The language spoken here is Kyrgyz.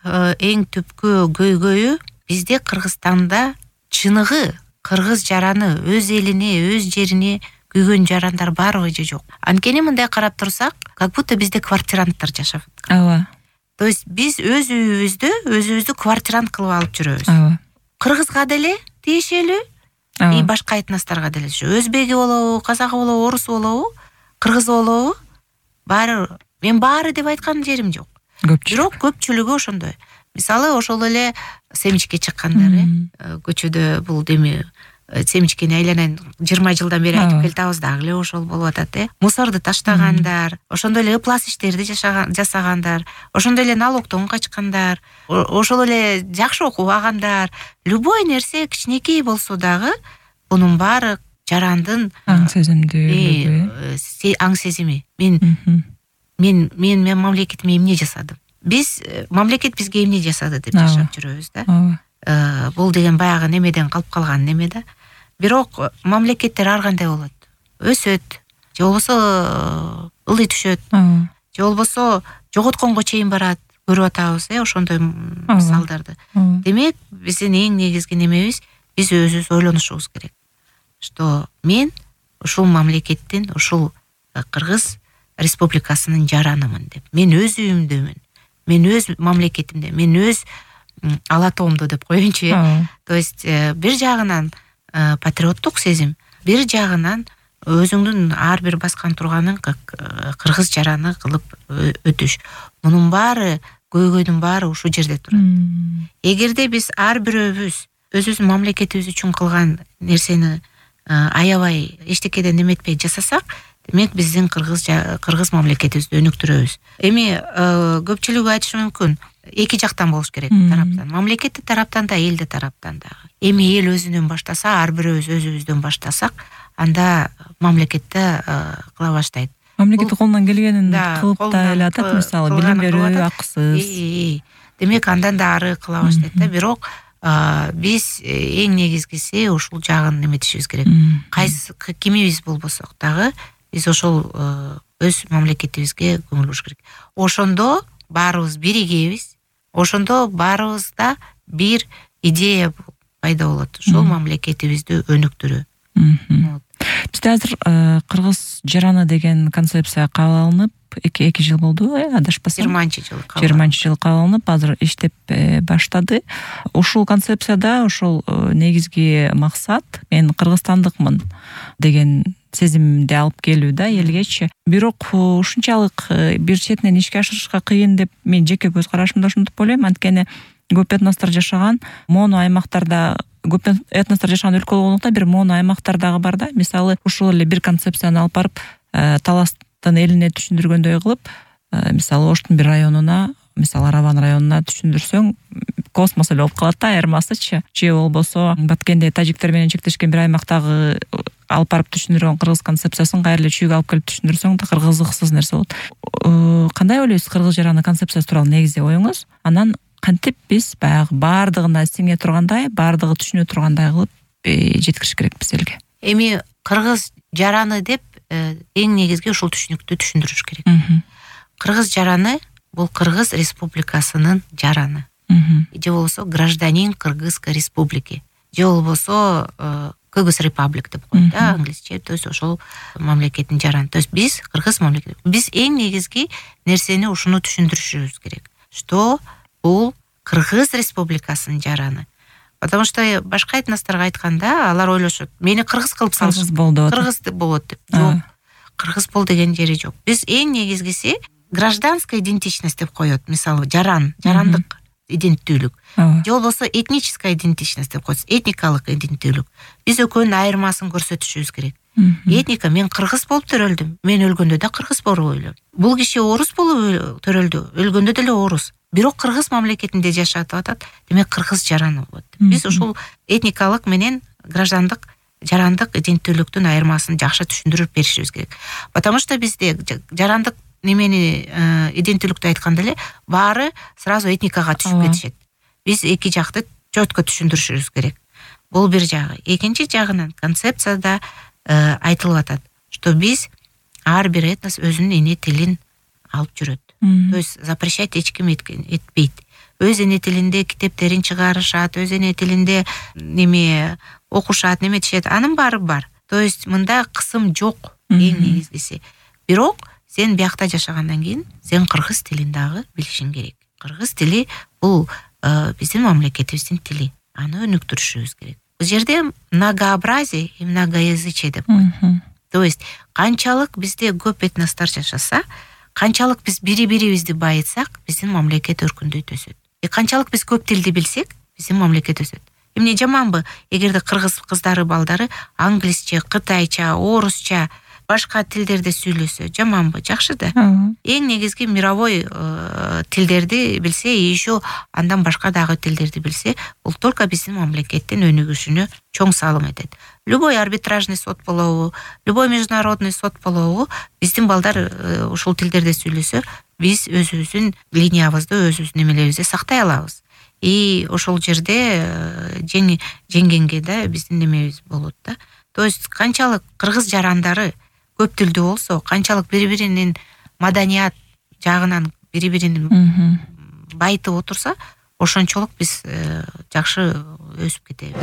эң түпкү көйгөйү бизде Кыргызстанда чыныгы кыргыз жараны өз элине, өз жерине күйгөн жарандар барбы же жок. Анткени мындай карап турсак, как будто бизде квартиранттар жашап аткан. Ооба. То есть биз өз үйүбүздү квартирант кылып алып жүрөбүз. Ооба. Кыргызга деле тиешелүү, и башка этносторго деле. Өзбеги болобу, казагы болобу, орусу болобу, кыргызы болобу, мен баары деп айткан жерим жок. Бирок көпчүлүгү ошондой. Мисалы, ошол эле семичке чыккандар, көчөдө бул деме семичкени айланайын 20 жылдан бери айтып келатабыз, дагы эле ошол болуп атат, мусорду таштагандар, ошондой эле ыплас иштерди жасагандар, ошондой эле налогдон качкандар, ошол эле жакшы окубагандар, любой нерсе кичинекей болсо дагы бунун баары жарандын аң сезимдүүлүгү, аң сезими. Мен мамлекетиме эмне жасадым? Мамлекет бизге эмне жасады деп жашап жүрөбүз да. Бул деген баягы немеден калып калган неме да. Бирок мамлекеттер ар кандай болот. Өсөт, же болбосо ылый түшөт, же болбосо жоготконго чейин барат. Көрүп атабыз, ошондой мисалдарды. Демек, биздин эң негизги немебиз, биз өзүбүз ойлонушубуз керек. Что мен ушул мамлекеттин, ушул Кыргыз республикасынын жаранымын деп. Мен өз үйүмдөмүн. Мен өз мамлекетимде, мен өз ала тоомдо деп коеюнчу. То есть бир жагынан патриоттук сезим, бир жагынан өзүңдүн ар бир баскан турганын кыргыз жараны кылып өтүш. Мунун баары, көйгөйдүн баары ушул жерде турат. Эгерде биз ар бирөөбүз өзүбүздүн мамлекетибиз үчүн кылган нерсени аябай эчтекеден неметпей жасасак, демек биздин кыргыз мамлекетибизди өнүктүрөбүз. Эми көпчүлүгү айтышы мүмкүн, эки жактан болуш керек тараптан. Мамлекеттик тараптан да, элдик тараптан да. Эми эл өзүнөн баштаса, ар бирөөбүз өзүбүздөн баштасак, анда мамлекетте кыла баштайт. Мамлекет колунан келгенин кылып да эле атат, мисалы билим берүү акысыз. Демек андан да ары кыла баштайт да. Бирок биз эң негизгиси ушул жагын неметишибиз керек. Кайсы кимибиз болбосок дагы биз ошол өз мамлекетибизге көңүл буруш керек. Ошондо баарыбыз биригебиз. Ошондо баарыбызда бир идея пайда болот. Ошол мамлекетибизди өнүктүрүү. Бизде азыр кыргыз жараны деген концепция кабыл алынып, 2 жыл болду, адашпасам. 20-жылы кабыл алынып, азыр иштеп баштады. Ушул концепцияда ошол негизги максат мен кыргызстандыкмын деген сезимди алып келүү да элгечи. Бирок ушунчалык бир четинен ишке ашырышка кыйын деп мен жеке көз карашымда ошентип ойлойм. Анткени көп этностор жашаган, моно аймактарда көп этностор жашаган өлкө болгондуктан бир моно аймактар дагы бар да. Мисалы, ушул эле бир концепцияны алып барып, Таластын элине түшүндүргөндөй кылып, мисалы Оштун бир районуна, мисалы Арабан районуна түшүндүрсөң, космос эле болуп калат да, айырмасычы. Же болбосо Баткенде тажиктер менен чектешкен бир аймактагы алып барып түшүндүргөн кыргыз концепциясын кайра эле чүйгө алып келип түшүндүрсөң да кыргыздыксыз нерсе болот. Кандай ойлойсуз кыргыз жараны концепциясы тууралуу негизи оюңуз? Анан кантип биз баягы баардыгына сиңе тургандай, баардыгы түшүнө тургандай кылып жеткириш керекпиз элге? Эми кыргыз жараны деп эң негизги ушул түшүнүктү түшүндүрүш керек. Кыргыз жараны бул Кыргыз республикасынын жараны. Же болбосо гражданин Кыргызской республики. Же болбосо Кыргыз Republic деп коет да, англисче. То есть ошол мамлекеттин жараны. То есть биз Кыргыз мамлекети. Биз эң негизги нерсени ушуну түшүндүрүшүбүз керек. Что бул Кыргыз республикасынын жараны. Потому что башка этносторго айтканда алар ойлошот, мени кыргыз кылып салышып, кыргыз болот деп. Жок. Кыргыз бол деген жери жок. Биз эң негизгиси гражданская идентичность деп коет. Мисалы, жарандык иденттүүлүк. Же болбосо этническая идентичность деп коет. Этникалык иденттүүлүк. Биз экөөнүн айырмасын көрсөтүшүбүз керек. Этника, мен кыргыз болуп төрөлдүм. Мен өлгөндө да кыргыз болуп өлөм. Бул киши орус болуп төрөлдү. Өлгөндө деле орус. Бирок кыргыз мамлекетинде жашап атат. Демек кыргыз жараны болот. Биз ушул этникалык менен граждандык, жарандык иденттүүлүктүн айырмасын жакшы түшүндүрүп беришибиз керек. Потому что бизде жарандык немени иденттүүлүктү айтканда эле баары сразу этникага түшүп кетишет. Биз эки жакты чөткө түшүндүрүшүбүз керек. Бул бир жагы. Экинчи жагынан концепцияда айтылып атат, что биз ар бир этнос өзүнүн эне тилин алып жүрөт. То есть запрещать эч ким этпейт. Өз эне тилинде китептерин чыгарышат, өз эне тилинде неме окушат, неметишет, анын баары бар. То есть мында кысым жок, эң негизгиси. Бирок сен биякта жашагандан кийин сен кыргыз тилин дагы билишиң керек. Кыргыз тили бул биздин мамлекетибиздин тили. Аны өнүктүрүшүбүз керек. Бул жерде многообразие и многоязычие деп коет. То есть канчалык бизде көп этностор жашаса, канчалык биз бири-бирибизди байытсак, биздин мамлекет өркүндөйт өсөт. Канчалык биз көп тилди билсек, биздин мамлекет өсөт. Эмне жаманбы, эгерде кыргыз кыздары, балдары англисче, кытайча, орусча, башка тилдерди сүйлөсө, жаманбы? Жакшы да. Эң негизги мировой тилдерди билсе, еще андан башка дагы тилдерди билсе, бул только биздин мамлекеттин өнүгүшүнө чоң салым этет. Любой арбитражный сот болобу, любой международный сот болобу, биздин балдар ушул тилдерди сүйлөсө, биз өзүбүздүн линиябызды, өзүбүздүн немелерибизди сактай алабыз. И ошол жерде жеңгенге да биздин немебиз болот да. То есть канчалык кыргыз жарандары көп тилдүү болсо, канчалык бири-биринин маданият жагынан бири-бирин байытып отурса, ошончолук биз жакшы өсүп кетебиз.